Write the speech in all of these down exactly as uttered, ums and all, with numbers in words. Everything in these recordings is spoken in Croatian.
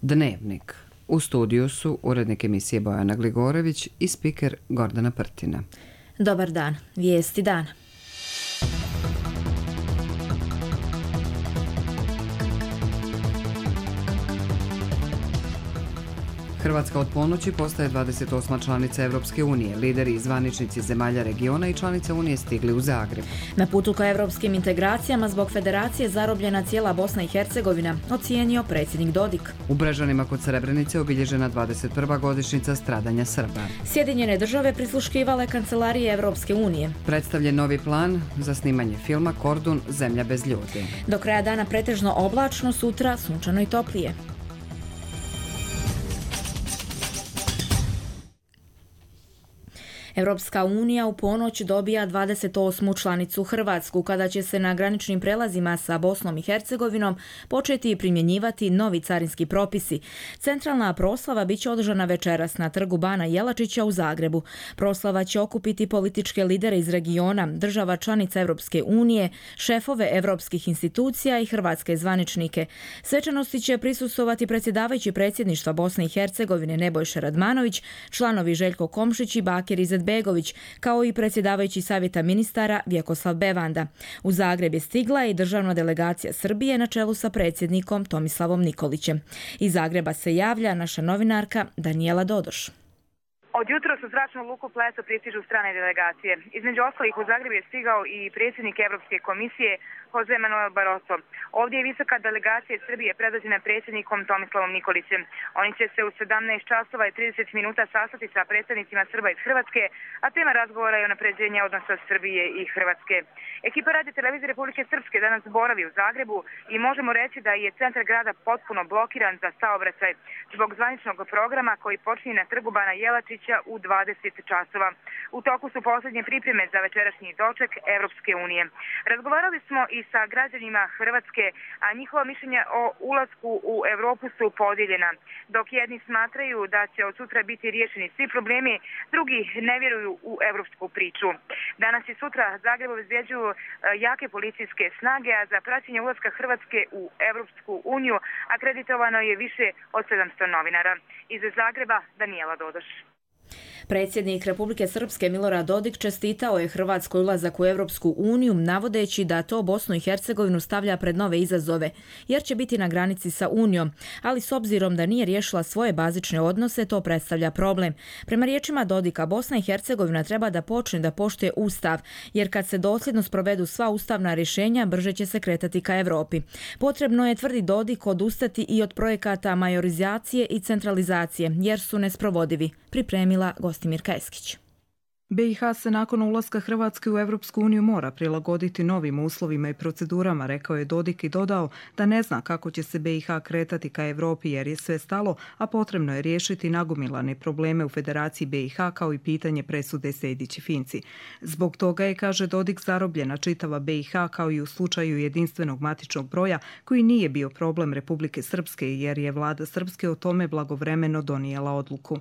Dnevnik. U studiju su urednik emisije Bojana Gligorević i spiker Gordana Prtina. Dobar dan. Vijesti dana. Hrvatska od ponoći postaje dvadeset osma članica Evropske unije. Lideri i zvaničnici zemalja regiona i članica Unije stigli u Zagreb. Na putu ka evropskim integracijama zbog federacije zarobljena cijela Bosna i Hercegovina, ocijenio predsjednik Dodik. U Brežanima kod Srebrenice obilježena dvadeset prva godišnjica stradanja Srba. Sjedinjene države prisluškivale kancelarije Evropske unije. Predstavljen novi plan za snimanje filma Kordun – Zemlja bez ljudi. Do kraja dana pretežno oblačno, sutra sunčano i toplije. Evropska unija u ponoć dobija dvadeset osmu članicu Hrvatsku, kada će se na graničnim prelazima sa Bosnom i Hercegovinom početi primjenjivati novi carinski propisi. Centralna proslava bit će održana večeras na trgu Bana Jelačića u Zagrebu. Proslava će okupiti političke lidere iz regiona, država članica Evropske unije, šefove evropskih institucija i hrvatske zvaničnike. Svečanosti će prisustvovati predsjedavajući predsjedništva Bosne i Hercegovine Nebojša Radmanović, članovi Željko Komšić i Bakir Izetbegović, kao i predsjedavajući savjeta ministara Vjekoslav Bevanda. U Zagreb je stigla i državna delegacija Srbije na čelu sa predsjednikom Tomislavom Nikolićem. Iz Zagreba se javlja naša novinarka Danijela Dodoš. Od jutros u zračnu luku Pleso pristižu strane delegacije. Između ostalih u Zagreb je stigao i predsjednik Europske komisije Jose Manuel Barroso. Ovdje je visoka delegacija Srbije predvođena predsjednikom Tomislavom Nikolićem. Oni će se u sedamnaest časova i trideset minuta sastati sa predstavnicima Srba iz Hrvatske, a tema razgovora je unapređenje odnosa Srbije i Hrvatske. Ekipa Radio televizije Republike Srpske danas boravi u Zagrebu i možemo reći da je centar grada potpuno blokiran za saobraćaj zbog zvaničnog programa koji počinje na trgu Bana Jelačića u dvadeset časova. U toku su posljednje pripreme za večerašnji doček Evropske unije. Razgovarali smo i sa građanima Hrvatske, a njihova mišljenja o ulasku u Europu su podijeljena. Dok jedni smatraju da će od sutra biti riješeni svi problemi, drugi ne vjeruju u evropsku priču. Danas i sutra Zagreb obezbjeđuju jake policijske snage, a za praćenje ulaska Hrvatske u Evropsku uniju akreditovano je više od sedamsto novinara. Iz Zagreba Danijela Dodoš. Predsjednik Republike Srpske Milorad Dodik čestitao je Hrvatskoj ulazak u Europsku uniju, navodeći da to Bosnu i Hercegovinu stavlja pred nove izazove, jer će biti na granici sa Unijom, ali s obzirom da nije riješila svoje bazične odnose, to predstavlja problem. Prema riječima Dodika, Bosna i Hercegovina treba da počne da poštuje Ustav, jer kad se dosljedno sprovedu sva ustavna rješenja, brže će se kretati ka Europi. Potrebno je, tvrdi Dodik, odustati i od projekata majorizacije i centralizacije, jer su nesprovodivi, pripremila Gostimirka Eskić. B i H se nakon ulaska Hrvatske u Evropsku uniju mora prilagoditi novim uslovima i procedurama, rekao je Dodik i dodao da ne zna kako će se B i H kretati ka Europi jer je sve stalo, a potrebno je riješiti nagomilane probleme u Federaciji B i H kao i pitanje presude Sejdić i Finci. Zbog toga je, kaže Dodik, zarobljena čitava B i H kao i u slučaju jedinstvenog matičnog broja koji nije bio problem Republike Srpske jer je vlada Srpske o tome blagovremeno donijela odluku.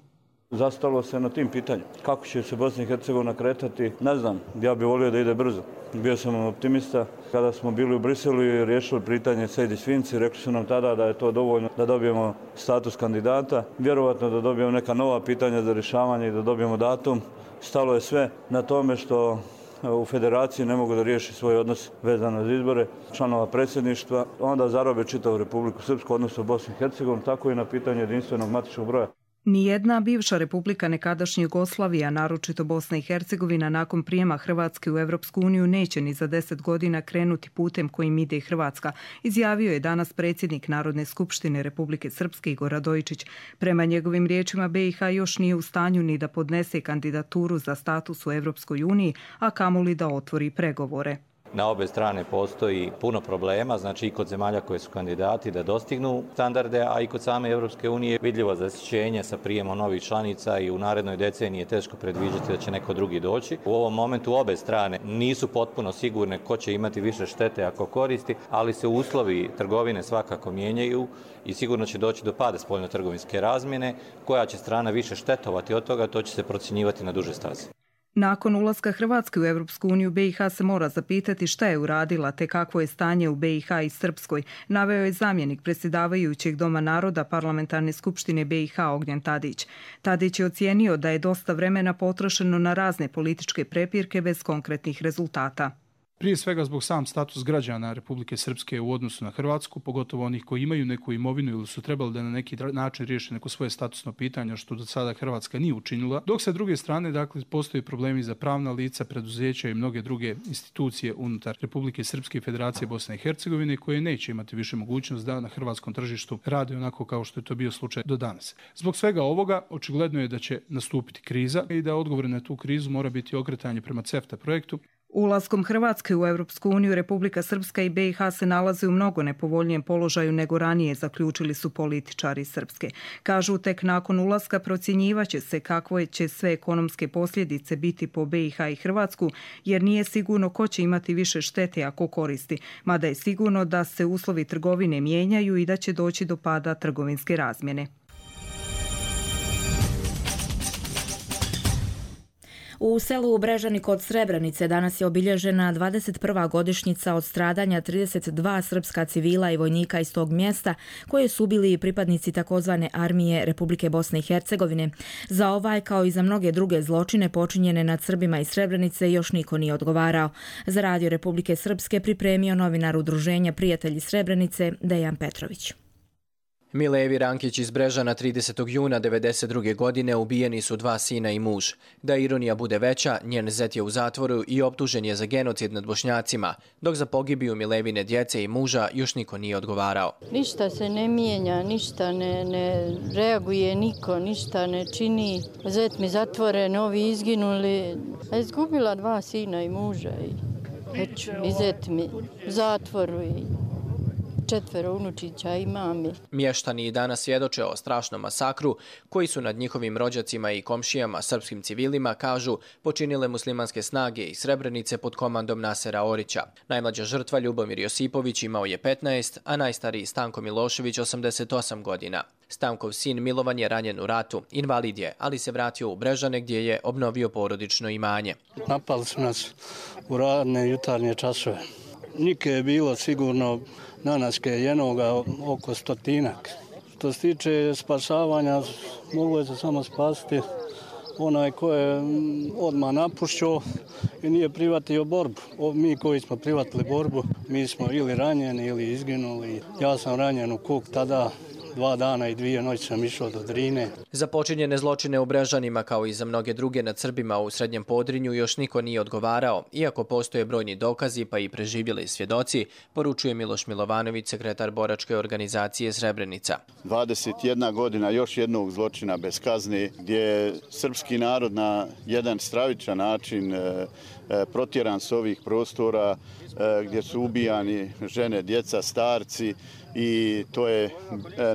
Zastalo se na tim pitanjem. Kako će se Bosna i Hercegovina kretati, ne znam. Ja bih volio da ide brzo. Bio sam optimista. Kada smo bili u Briselu i riješili pitanje Sejdić-Finci, rekli su nam tada da je to dovoljno da dobijemo status kandidata. Vjerovatno da dobijemo neka nova pitanja za rješavanje i da dobijemo datum. Stalo je sve na tome što u federaciji ne mogu da riješi svoj odnos vezano za izbore članova predsjedništva. Onda zarobe čitavu Republiku Srpsku, odnosno Bosnu i Hercegovinu, tako i na pitanje jedinstvenog matičnog broja. Nijedna bivša republika nekadašnje Jugoslavije, naročito Bosna i Hercegovina, nakon prijema Hrvatske u Evropsku uniju neće ni za deset godina krenuti putem kojim ide i Hrvatska, izjavio je danas predsjednik Narodne skupštine Republike Srpske Igor Radojičić. Prema njegovim riječima B i H još nije u stanju ni da podnese kandidaturu za status u Evropskoj uniji, a kamoli da otvori pregovore. Na obe strane postoji puno problema, znači i kod zemalja koje su kandidati da dostignu standarde, a i kod same Europske unije vidljivo zasićenje sa prijemom novih članica i u narednoj deceniji je teško predviđati da će neko drugi doći. U ovom momentu obe strane nisu potpuno sigurne ko će imati više štete ako koristi, ali se uslovi trgovine svakako mijenjaju i sigurno će doći do pada spoljno-trgovinske razmjene. Koja će strana više štetovati od toga, to će se procjenjivati na duže staze. Nakon ulaska Hrvatske u Europsku uniju, B i H se mora zapitati šta je uradila te kakvo je stanje u B i H i Srpskoj, naveo je zamjenik predsjedavajućeg Doma naroda Parlamentarne skupštine B i H Ognjen Tadić. Tadić je ocijenio da je dosta vremena potrošeno na razne političke prepirke bez konkretnih rezultata. Prije svega zbog sam status građana Republike Srpske u odnosu na Hrvatsku, pogotovo onih koji imaju neku imovinu ili su trebali da na neki način riješe neko svoje statusno pitanje, što do sada Hrvatska nije učinila. Dok sa druge strane, dakle, postoje problemi za pravna lica, preduzeća i mnoge druge institucije unutar Republike Srpske i Federacije Bosne i Hercegovine koje neće imati više mogućnost da na hrvatskom tržištu rade onako kao što je to bio slučaj do danas. Zbog svega ovoga, očigledno je da će nastupiti kriza i da odgovor na tu krizu mora biti okretanje prema CEFTA projektu. Ulaskom Hrvatske u Europsku uniju, Republika Srpska i B i H se nalaze u mnogo nepovoljnijem položaju nego ranije, zaključili su političari Srpske. Kažu, tek nakon ulaska procjenjivaće se kakve će sve ekonomske posljedice biti po B i H i Hrvatsku, jer nije sigurno ko će imati više štete ako koristi, mada je sigurno da se uslovi trgovine mijenjaju i da će doći do pada trgovinske razmjene. U selu Brežani kod Srebrenice danas je obilježena dvadeset prva godišnjica od stradanja trideset dva srpska civila i vojnika iz tog mjesta koje su bili pripadnici takozvane armije Republike Bosne i Hercegovine. Za ovaj kao i za mnoge druge zločine počinjene nad Srbima iz Srebrenice još niko nije odgovarao. Za Radio Republike Srpske pripremio novinar udruženja Prijatelji Srebrenice Dejan Petrović. Milevi Rankić iz Brežana tridesetog juna devedeset druge godine ubijeni su dva sina i muž. Da ironija bude veća, njen zet je u zatvoru i optužen je za genocid nad Bošnjacima, dok za pogibiju Milevine djece i muža još niko nije odgovarao. Ništa se ne mijenja, ništa ne, ne reaguje niko, ništa ne čini. Zet mi zatvoren, ovi izginuli. A izgubila dva sina i muža i, eću, i zet mi u zatvoru i četvero unučića i mami. Mještani i danas svjedoče o strašnom masakru koji su nad njihovim rođacima i komšijama, srpskim civilima, kažu, počinile muslimanske snage iz Srebrenice pod komandom Nasera Orića. Najmlađa žrtva Ljubomir Josipović imao je petnaest, a najstariji Stanko Milošević osamdeset osam godina. Stankov sin Milovan je ranjen u ratu, invalid je, ali se vratio u Brežane gdje je obnovio porodično imanje. Napali su nas u radne jutarnje časove. Nike je bilo sigurno nanaske jednoga oko stotinak. Što se tiče spasavanja, moglo je se samo spasiti onaj ko je odmah napušćao i nije privatio borbu. Mi koji smo privatili borbu, mi smo ili ranjeni ili izginuli. Ja sam ranjen u Kuk tada. Dva dana i dvije noći sam išao do Drine. Za počinjene zločine u Brežanima, kao i za mnoge druge nad Srbima u Srednjem Podrinju, još niko nije odgovarao, iako postoje brojni dokazi pa i preživjeli svjedoci, poručuje Miloš Milovanović, sekretar boračke organizacije Srebrenica. dvadeset jedna godina još jednog zločina bez kazne, gdje je srpski narod na jedan stravičan način protjeran s ovih prostora, gdje su ubijani žene, djeca, starci, i to je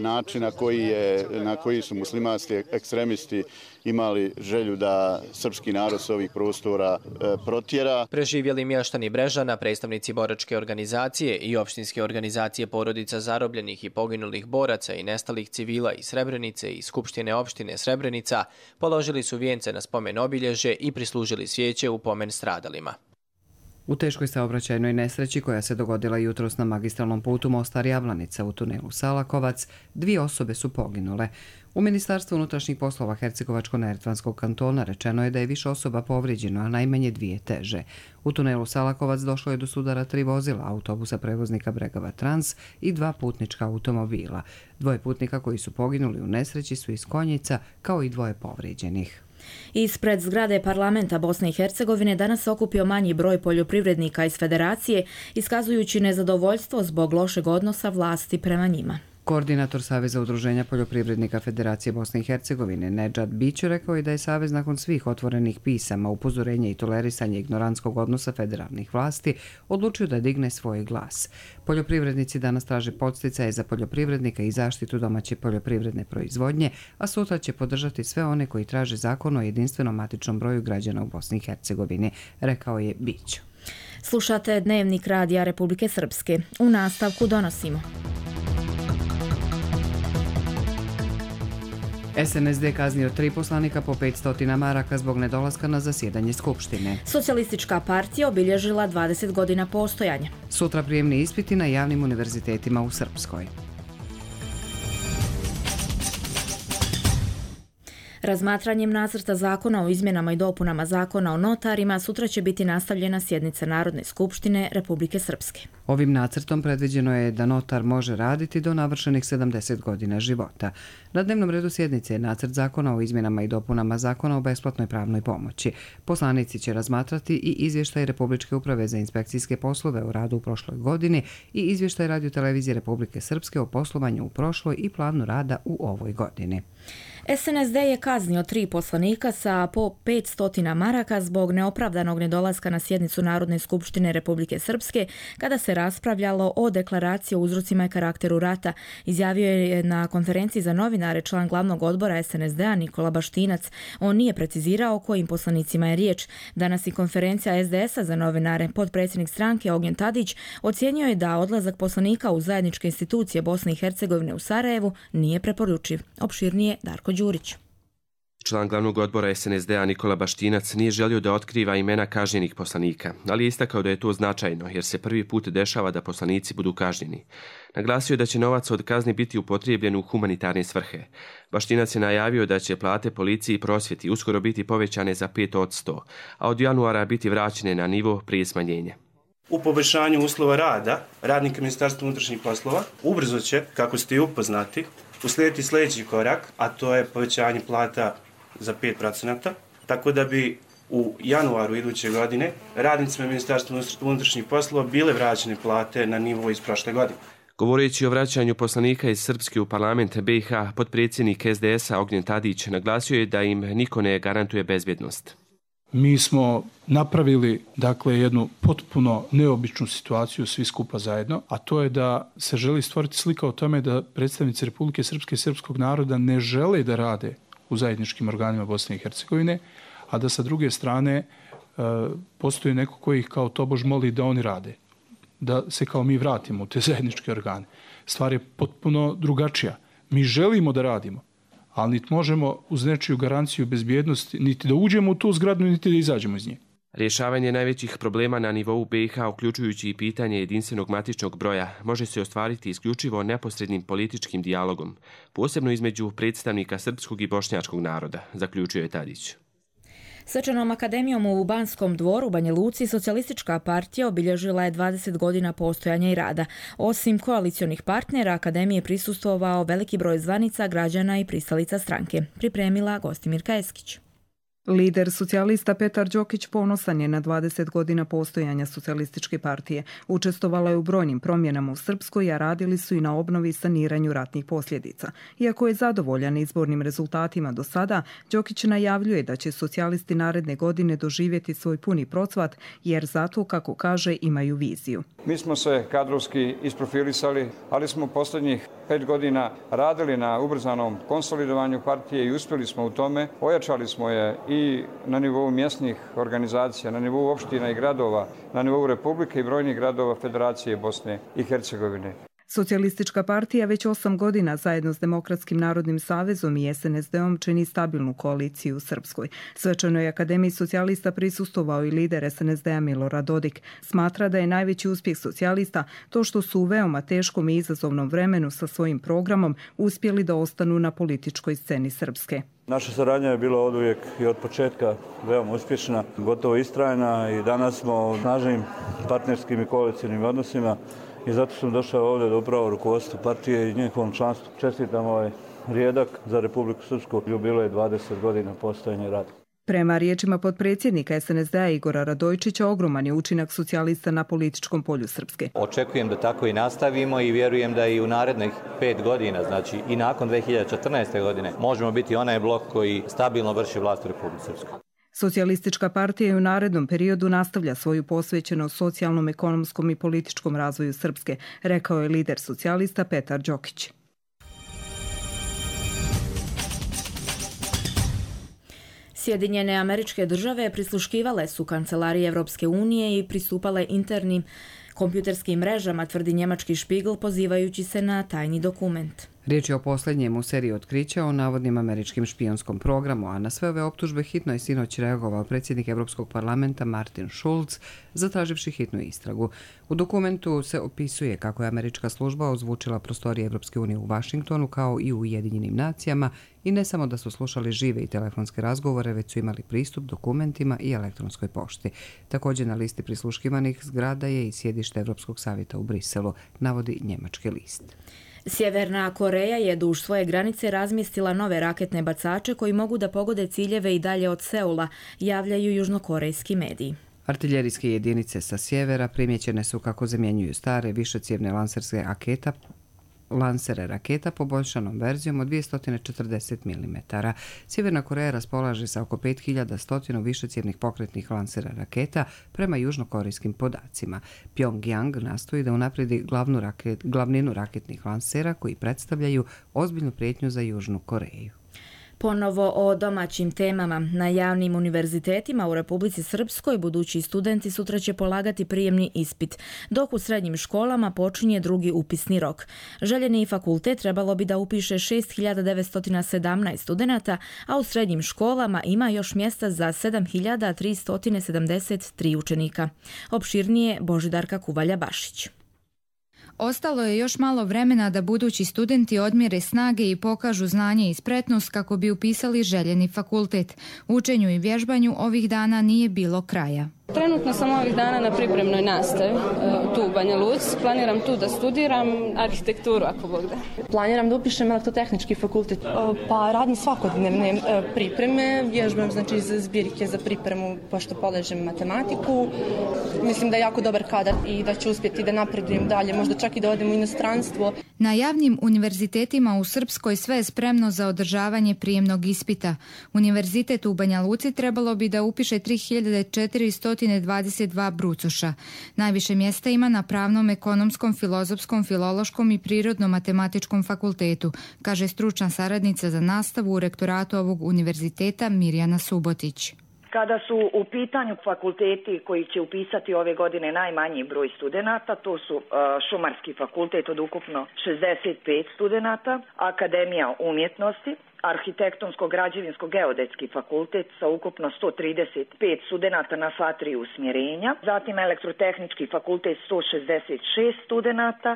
način na koji, je, na koji su muslimanski ekstremisti imali želju da srpski narod s ovih prostora protjera. Preživjeli mještani Brežana, predstavnici boračke organizacije i opštinske organizacije porodica zarobljenih i poginulih boraca i nestalih civila iz Srebrenice i Skupštine opštine Srebrenica položili su vijence na spomen obilježje i prislužili svijeće u pomen stradalima. U teškoj saobraćajnoj nesreći koja se dogodila jutros na magistralnom putu Mostar-Javlanica u tunelu Salakovac, dvije osobe su poginule. U Ministarstvu unutrašnjih poslova Hercegovačko-neretvanskog kantona rečeno je da je više osoba povrijeđeno, a najmanje dvije teže. U tunelu Salakovac došlo je do sudara tri vozila, autobusa prevoznika Bregava Trans i dva putnička automobila. Dvoje putnika koji su poginuli u nesreći su iz Konjica, kao i dvoje povrijeđenih. Ispred zgrade parlamenta Bosne i Hercegovine danas se okupio manji broj poljoprivrednika iz federacije, iskazujući nezadovoljstvo zbog lošeg odnosa vlasti prema njima. Koordinator Saveza udruženja poljoprivrednika Federacije Bosne i Hercegovine Nedžad Bić rekao je da je Savez nakon svih otvorenih pisama, upozorenja i tolerisanja ignorantskog odnosa federalnih vlasti odlučio da digne svoj glas. Poljoprivrednici danas traže podsticaje za poljoprivrednika i zaštitu domaće poljoprivredne proizvodnje, a sutra će podržati sve one koji traže zakon o jedinstvenom matičnom broju građana u Bosni i Hercegovini, rekao je Bić. Slušate Dnevnik Radija Republike Srpske. U nastavku donosimo. S N S D kaznio tri poslanika po petsto maraka zbog nedolaska na zasjedanje Skupštine. Socijalistička partija obilježila dvadeset godina postojanja. Sutra prijemni ispiti na javnim univerzitetima u Srpskoj. Razmatranjem nacrta zakona o izmjenama i dopunama zakona o notarima sutra će biti nastavljena sjednica Narodne skupštine Republike Srpske. Ovim nacrtom predviđeno je da notar može raditi do navršenih sedamdeset godina života. Na dnevnom redu sjednice je nacrt zakona o izmjenama i dopunama zakona o besplatnoj pravnoj pomoći. Poslanici će razmatrati i izvještaj Republičke uprave za inspekcijske poslove o radu u prošloj godini i izvještaj Radio-televizije Republike Srpske o poslovanju u prošloj i planu rada u ovoj godini. S N S D je kaznio tri poslanika sa po petsto maraka zbog neopravdanog nedolaska na sjednicu Narodne skupštine Republike Srpske kada se raspravljalo o deklaraciji o uzrocima i karakteru rata, izjavio je na konferenciji za novinare član glavnog odbora S N S D-a Nikola Baštinac. On nije precizirao o kojim poslanicima je riječ. Danas i konferencija S D S-a za novinare, potpredsjednik stranke Ognjen Tadić ocijenio je da odlazak poslanika u zajedničke institucije Bosne i Hercegovine u Sarajevu nije preporučiv. Opširnije Darko Đurić. Član glavnog odbora S N S D-a Nikola Baštinac nije želio da otkriva imena kažnjenih poslanika, ali je istakao da je to značajno jer se prvi put dešava da poslanici budu kažnjeni. Naglasio je da će novac od kazni biti upotrijebljen u humanitarne svrhe. Baštinac je najavio da će plate policiji i prosvjeti uskoro biti povećane za pet posto, a od januara biti vraćene na nivo prije smanjenja. U poboljšanju uslova rada radnika Ministarstva unutrašnjih poslova ubrzo će, kako ste i upoznati, uslijediti sljedeći korak, a to je povećanje plata za pet procenata, tako da bi u januaru iduće godine radnicima Ministarstva unutrašnjih poslova bile vraćene plate na nivo iz prošle godine. Govoreći o vraćanju poslanika iz Srpske u parlament B i H, potpredsjednik S D S-a Ognjen Tadić naglasio je da im niko ne garantuje bezbjednost. Mi smo napravili dakle jednu potpuno neobičnu situaciju svi skupa zajedno, a to je da se želi stvoriti slika o tome da predstavnici Republike Srpske i srpskog naroda ne žele da rade u zajedničkim organima Bosne i Hercegovine, a da sa druge strane e, postoji neko koji ih kao tobož moli da oni rade, da se kao mi vratimo u te zajedničke organe. Stvar je potpuno drugačija. Mi želimo da radimo, ali niti možemo uz nečiju garanciju bezbjednosti niti da uđemo u tu zgradu, niti da izađemo iz nje. Rješavanje najvećih problema na nivou B i H, uključujući i pitanje jedinstvenog matičnog broja, može se ostvariti isključivo neposrednim političkim dijalogom, posebno između predstavnika srpskog i bošnjačkog naroda, zaključio je Tadić. Svečanom akademijom u Banskom dvoru u Banja Luci socijalistička partija obilježila je dvadeset godina postojanja i rada. Osim koalicionih partnera, akademiji prisustvovao veliki broj zvanica, građana i pristalica stranke. Pripremila Gostimirka Eskić. Lider socijalista Petar Đokić ponosan je na dvadeset godina postojanja socijalističke partije. Učestvovala je u brojnim promjenama u Srpskoj, a radili su i na obnovi i saniranju ratnih posljedica. Iako je zadovoljan izbornim rezultatima do sada, Đokić najavljuje da će socijalisti naredne godine doživjeti svoj puni procvat, jer zato, kako kaže, imaju viziju. Mi smo se kadrovski isprofilisali, ali smo posljednjih pet godina radili na ubrzanom konsolidovanju partije i uspjeli smo u tome. Ojačali smo je i na nivou mjesnih organizacija, na nivou opština i gradova, na nivou Republike i brojnih gradova Federacije Bosne i Hercegovine. Socijalistička partija već osam godina zajedno s Demokratskim narodnim savezom i S N S D-om čini stabilnu koaliciju u Srpskoj. Svečanoj akademiji socijalista prisustvovao i lider S N S D-a Milorad Dodik. Smatra da je najveći uspjeh socijalista to što su u veoma teškom i izazovnom vremenu sa svojim programom uspjeli da ostanu na političkoj sceni Srpske. Naša saradnja je bila oduvijek i od početka veoma uspješna, gotovo istrajna i danas smo u snažnim partnerskim i koalicijnim odnosima. I zato sam došao ovdje da upravo rukovodstvo partije i njihovom članstvu čestitam ovaj rijedak za Republiku Srpsku. Jubilej dvadeset godina postojanja i rada. Prema riječima potpredsjednika S N S D-a Igora Radojičića, ogroman je učinak socijalista na političkom polju Srpske. Očekujem da tako i nastavimo i vjerujem da i u narednih pet godina, znači i nakon dve hiljade četrnaeste. godine, možemo biti onaj blok koji stabilno vrši vlast u Republici Srpskoj. Socijalistička partija u narednom periodu nastavlja svoju posvećenost socijalnom, ekonomskom i političkom razvoju Srpske, rekao je lider socijalista Petar Đokić. Sjedinjene Američke Države prisluškivale su kancelarije Evropske unije i pristupale internim kompjuterskim mrežama, tvrdi njemački Spiegel pozivajući se na tajni dokument. Riječ je o posljednjem u seriji otkrića o navodnim američkim špijonskom programu, a na sve ove optužbe hitno je sinoć reagovao predsjednik Europskog parlamenta Martin Schulz, zatraživši hitnu istragu. U dokumentu se opisuje kako je američka služba ozvučila prostorije Europske unije u Vašingtonu kao i u Ujedinjenim nacijama i ne samo da su slušali žive i telefonske razgovore, već su imali pristup dokumentima i elektronskoj pošti. Također na listi prisluškivanih zgrada je i sjedište Europskog savjeta u Briselu, navodi njemački list. Sjeverna Koreja je duž svoje granice razmjestila nove raketne bacače koji mogu da pogode ciljeve i dalje od Seula, javljaju južnokorejski mediji. Artiljerijske jedinice sa sjevera primjećene su kako zamjenjuju stare višecjevne lanserske raketa lansere raketa poboljšanom verzijom od dvjesto četrdeset milimetara. Sjeverna Koreja raspolaže sa oko pet hiljada sto višecjevnih pokretnih lansera raketa prema južnokorejskim podacima. Pyongyang nastoji da unaprijedi glavnu raket, glavninu raketnih lansera koji predstavljaju ozbiljnu prijetnju za Južnu Koreju. Ponovo o domaćim temama. Na javnim univerzitetima u Republici Srpskoj budući studenti sutra će polagati prijemni ispit, dok u srednjim školama počinje drugi upisni rok. Željeni fakultet trebalo bi da upiše šest hiljada devetsto sedamnaest studenata, a u srednjim školama ima još mjesta za sedam hiljada tristo sedamdeset tri učenika. Opširnije Božidarka Kuvalja-Bašić. Ostalo je još malo vremena da budući studenti odmjere snage i pokažu znanje i spretnost kako bi upisali željeni fakultet. Učenju i vježbanju ovih dana nije bilo kraja. Trenutno sam ovih dana na pripremnoj nastavi tu u Banja Luci. Planiram tu da studiram arhitekturu, ako Bog da. Planiram da upišem elektrotehnički fakultet. Pa radim svakodnevne pripreme, vježbam znači za zbirke za pripremu pošto polažem matematiku. Mislim da je jako dobar kadar i da ću uspjeti da napredujem dalje, možda čak i da odem u inostranstvo. Na javnim univerzitetima u Srpskoj sve je spremno za održavanje prijemnog ispita. Univerzitet u Banja Luci trebalo bi da upiše tri hiljade četiristo dvadeset dva brucoša. Najviše mjesta ima na pravnom, ekonomskom, filozofskom, filološkom i prirodno-matematičkom fakultetu, kaže stručna saradnica za nastavu u rektoratu ovog univerziteta Mirjana Subotić. Kada su u pitanju fakulteti koji će upisati ove godine najmanji broj studenata, to su uh, Šumarski fakultet od ukupno šezdeset pet studenata, Akademija umjetnosti, Arhitektonsko-građevinsko-geodetski fakultet sa ukupno sto trideset pet studenata na sva tri usmjerenja, zatim Elektrotehnički fakultet sto šezdeset šest studenata,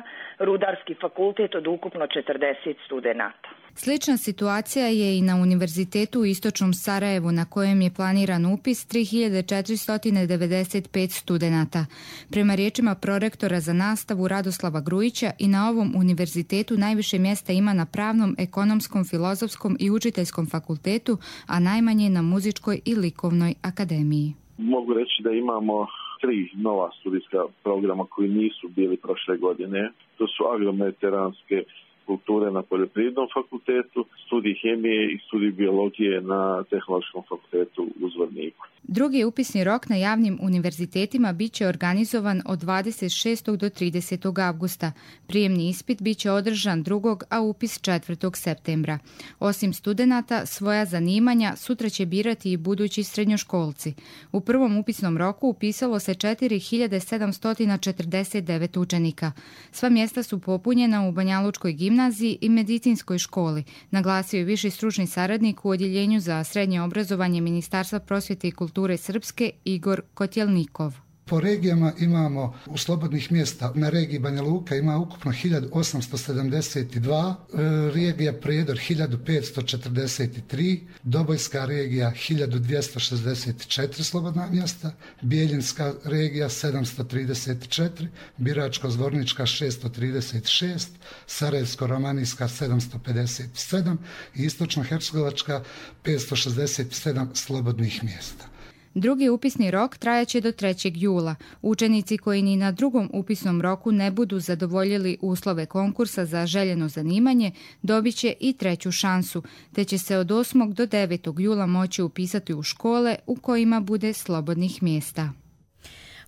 Rudarski fakultet od ukupno četrdeset studenata. Slična situacija je i na Univerzitetu u Istočnom Sarajevu na kojem je planiran upis tri hiljade četiristo devedeset pet studenata. Prema riječima prorektora za nastavu Radoslava Grujića i na ovom univerzitetu najviše mjesta ima na pravnom, ekonomskom, filozofskom i učiteljskom fakultetu, a najmanje na muzičkoj i likovnoj akademiji. Mogu reći da imamo tri nova studijska programa koji nisu bili prošle godine. To su agromediteranske kulture na Poljoprivrednom fakultetu, studij hemije i studij biologije na Tehnološkom fakultetu u Zvorniku. Drugi upisni rok na javnim univerzitetima bit će organizovan od dvadeset šestog do tridesetog avgusta. Prijemni ispit bit će održan drugog, a upis četvrtog septembra. Osim studenata, svoja zanimanja sutra će birati i budući srednjoškolci. U prvom upisnom roku upisalo se četiri hiljade sedamsto četrdeset devet učenika. Sva mjesta su popunjena u Banjalučkoj gimnaziji i medicinskoj školi, naglasio je viši stručni saradnik u Odjeljenju za srednje obrazovanje Ministarstva prosvjete i kulture Srpske Igor Kotjelnikov. Po regijama imamo u slobodnih mjesta na regiji Banja Luka ima ukupno hiljadu osamsto sedamdeset dva, regija Prijedor hiljadu petsto četrdeset tri, Dobojska regija hiljadu dvjesto šezdeset četiri slobodna mjesta, Bijeljinska regija sedamsto trideset četiri, Biračko-Zvornička šesto trideset šest, Sarajevsko-Romanijska sedamsto pedeset sedam i Istočno-Hercegovačka petsto šezdeset sedam slobodnih mjesta. Drugi upisni rok trajaće do trećeg jula. Učenici koji ni na drugom upisnom roku ne budu zadovoljili uslove konkursa za željeno zanimanje dobit će i treću šansu, te će se od osmog do devetog jula moći upisati u škole u kojima bude slobodnih mjesta.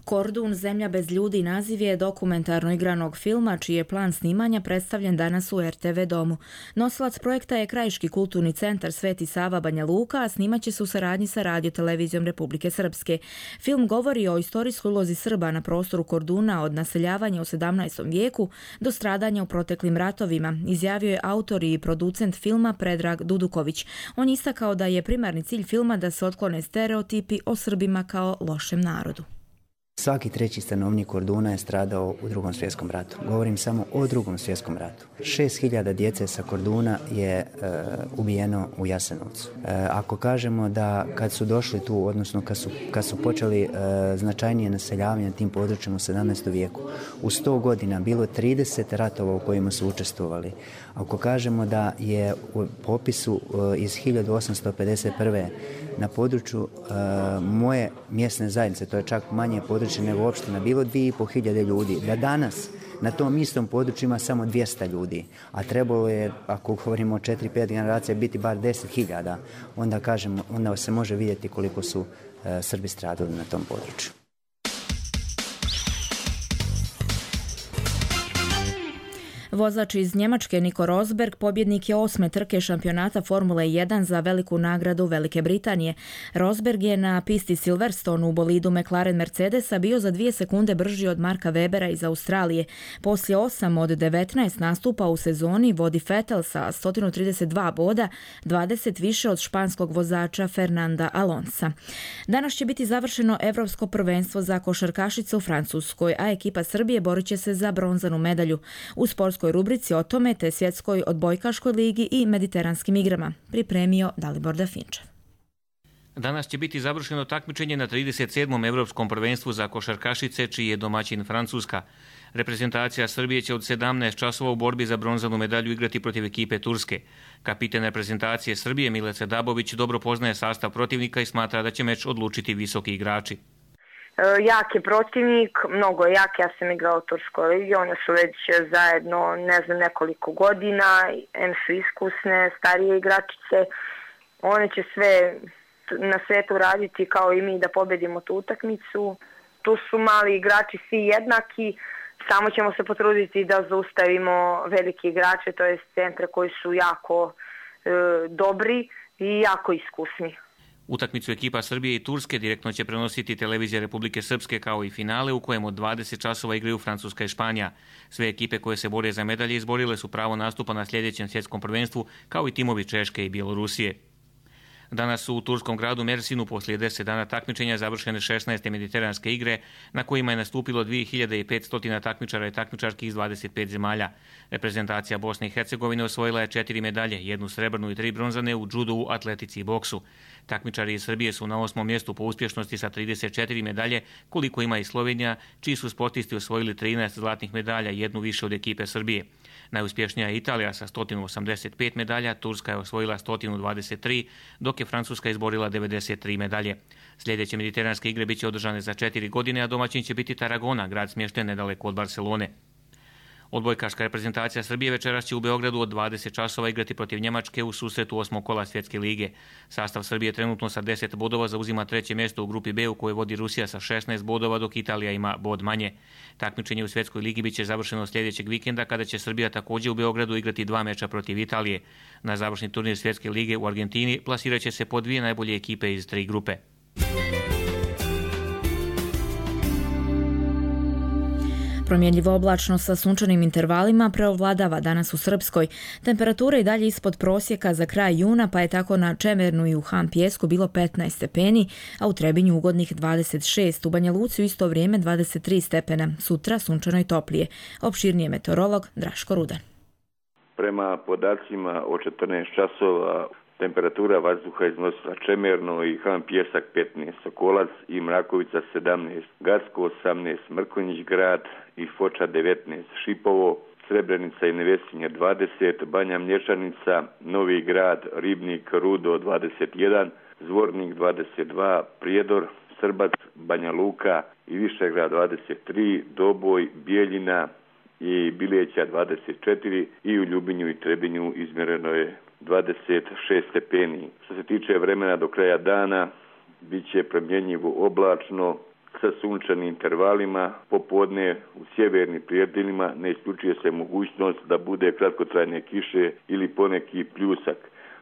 Kordun, zemlja bez ljudi naziv je dokumentarno igranog filma čiji je plan snimanja predstavljen danas u er te ve domu. Nosilac projekta je Krajiški kulturni centar Sveti Sava Banja Luka, a snimat će se u saradnji sa radiotelevizijom Republike Srpske. Film govori o istorijskoj ulozi Srba na prostoru Korduna od naseljavanja u sedamnaestom vijeku do stradanja u proteklim ratovima, izjavio je autor i producent filma Predrag Duduković. On je istakao da je primarni cilj filma da se otklone stereotipi o Srbima kao lošem narodu. Svaki treći stanovnik Korduna je stradao u drugom svjetskom ratu. Govorim samo o drugom svjetskom ratu. Šest hiljada djece sa Korduna je e, ubijeno u Jasenovcu. E, ako kažemo da kad su došli tu, odnosno kad su, kad su počeli e, značajnije naseljavanje tim područjem u sedamnaestom vijeku, u sto godina bilo trideset ratova u kojima su učestvovali. Ako kažemo da je u popisu e, iz hiljadu osamsto pedeset prve na području e, moje mjesne zajednice, to je čak manje područje nego opština, bilo dvije i pol hiljade ljudi, da danas na tom istom području ima samo dvjesto ljudi, a trebalo je, ako govorimo o četiri pet generacija, biti bar deset hiljada, onda, kažemo, onda se može vidjeti koliko su e, Srbi stradali na tom području. Vozač iz Njemačke Nico Rosberg pobjednik je osme trke šampionata Formule jedan za veliku nagradu Velike Britanije. Rosberg je na pisti Silverstone u bolidu McLaren Mercedesa bio za dvije sekunde brži od Marka Webera iz Australije. Poslije osam od devetnaest nastupa u sezoni vodi Vettel sa sto trideset dva boda, dvadeset više od španskog vozača Fernanda Alonsa. Danas će biti završeno Evropsko prvenstvo za košarkašice u Francuskoj, a ekipa Srbije borit će se za bronzanu medalju. U sportskoj rubrici o tome te svjetskoj odbojkaškoj ligi i mediteranskim igrama pripremio Dalibor Dafinčev. Danas će biti završeno takmičenje na trideset sedmom Evropskom prvenstvu za košarkašice, čiji je domaćin Francuska. Reprezentacija Srbije će od sedamnaest časova u borbi za bronzanu medalju igrati protiv ekipe Turske. Kapiten reprezentacije Srbije Milica Dabović dobro poznaje sastav protivnika i smatra da će meč odlučiti visoki igrači. Jak je protivnik, mnogo je jak, ja sam igrao u Turskoj ligi, one su već zajedno, ne znam, nekoliko godina, em su iskusne, starije igračice, one će sve na svetu raditi kao i mi da pobedimo tu utakmicu. Tu su mali igrači svi jednaki, samo ćemo se potruditi da zaustavimo veliki igrače, to je centre koji su jako e, dobri i jako iskusni. Utakmicu ekipa Srbije i Turske direktno će prenositi televizija Republike Srpske kao i finale u kojem od dvadeset časova igraju Francuska i Španija. Sve ekipe koje se bore za medalje izborile su pravo nastupa na sljedećem svjetskom prvenstvu kao i timovi Češke i Bjelorusije. Danas su u turskom gradu Mersinu poslije deset dana takmičenja završene šesnaeste mediteranske igre na kojima je nastupilo dvije hiljade petsto takmičara i takmičarki iz dvadeset pet zemalja. Reprezentacija Bosne i Hercegovine osvojila je četiri medalje, jednu srebrnu i tri bronzane u džudu, atletici i boksu. Takmičari iz Srbije su na osmom mjestu po uspješnosti sa trideset četiri medalje, koliko ima i Slovenija, čiji su sportisti osvojili trinaest zlatnih medalja, jednu više od ekipe Srbije. Najuspješnija je Italija sa sto osamdeset pet medalja, Turska je osvojila sto dvadeset tri, dok je Francuska izborila devedeset tri medalje. Sljedeće mediteranske igre biće održane za četiri godine, a domaćin će biti Tarragona, grad smješten nedaleko od Barcelone. Odbojkaška reprezentacija Srbije večeras će u Beogradu od dvadeset časova igrati protiv Njemačke u susretu osmog kola Svjetske lige. Sastav Srbije trenutno sa deset bodova zauzima treće mjesto u grupi B u kojoj vodi Rusija sa šesnaest bodova, dok Italija ima bod manje. Takmičenje u Svjetskoj ligi biće završeno sljedećeg vikenda kada će Srbija također u Beogradu igrati dva meča protiv Italije. Na završni turnir Svjetske lige u Argentini plasirat će se po dvije najbolje ekipe iz tri grupe. Promjenljivo oblačno sa sunčanim intervalima preovladava danas u Srpskoj. Temperatura i dalje ispod prosjeka za kraj juna, pa je tako na Čemernu i u Han Pijesku bilo petnaest stepeni, a u Trebinju ugodnih dvadeset šest, u Banja Luci u isto vrijeme dvadeset tri stepena. Sutra sunčano i toplije. Opširnije meteorolog Draško Rudan. Prema podacima o četrnaest časova temperatura vazduha iznosila Čemerno i Han Pijesak petnaest, Sokolac i Mrakovica sedamnaest, Gacko osamnaest, Mrkonjić grad i Foča devetnaest, Šipovo, Srebrenica i Nevesinje dvadeset, Banja Mlječanica, Novi grad, Ribnik, Rudo dvadeset jedan, Zvornik dvadeset dva, Prijedor, Srbac, Banja Luka i Višegrad dvadeset tri, Doboj, Bijeljina i Bileća dvadeset četiri i u Ljubinju i Trebinju izmjereno je dvadeset šest stepeni. Što se tiče vremena do kraja dana, bit će promjenjivo oblačno sa sunčanim intervalima, popodne u sjevernim predjelima ne isključuje se mogućnost da bude kratkotrajne kiše ili poneki pljusak.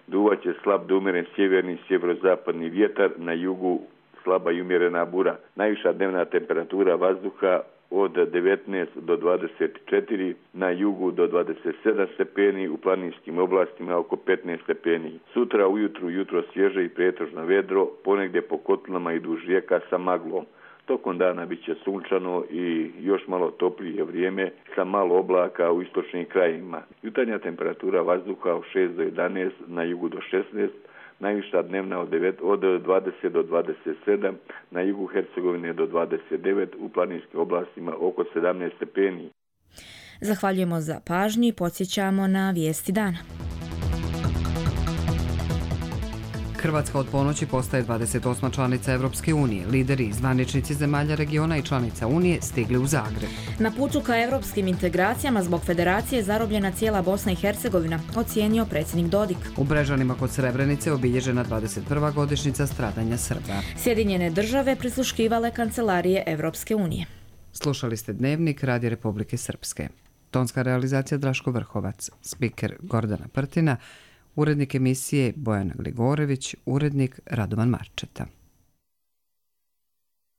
Duvaće slab do umjeren sjeverni sjeverozapadni vjetar, na jugu slaba i umjerena bura. Najviša dnevna temperatura vazduha od devetnaest do dvadeset četiri, na jugu do dvadeset sedam stepeni, u planinskim oblastima oko petnaest stepeni. Sutra ujutru jutro svježe i pretežno vedro, ponegdje po kotlinama i duž rijeka sa maglom. Tokom dana bit će sunčano i još malo toplije vrijeme sa malo oblaka u istočnim krajima. Jutarnja temperatura vazduha od šest do jedanaest, na jugu do šesnaest, najviša dnevna od, devet, od dvadeset do dvadeset sedam, na jugu Hercegovine do dvadeset devet, u planinskim oblastima oko sedamnaest stepeni. Zahvaljujemo za pažnju i podsjećamo na vijesti dana. Hrvatska od ponoći postaje dvadeset osma članica Evropske unije. Lideri i zvaničnici zemalja regiona i članica Unije stigli u Zagreb. Na putu ka evropskim integracijama zbog federacije zarobljena cijela Bosna i Hercegovina, ocijenio predsjednik Dodik. U Brežanima kod Srebrenice obilježena dvadeset prva godišnjica stradanja Srba. Sjedinjene države prisluškivale kancelarije Evropske unije. Slušali ste Dnevnik Radija Republike Srpske. Tonska realizacija Draško Vrhovac, spiker Gordana Prtina, urednik emisije Bojana Gligorević, urednik Radovan Marčeta.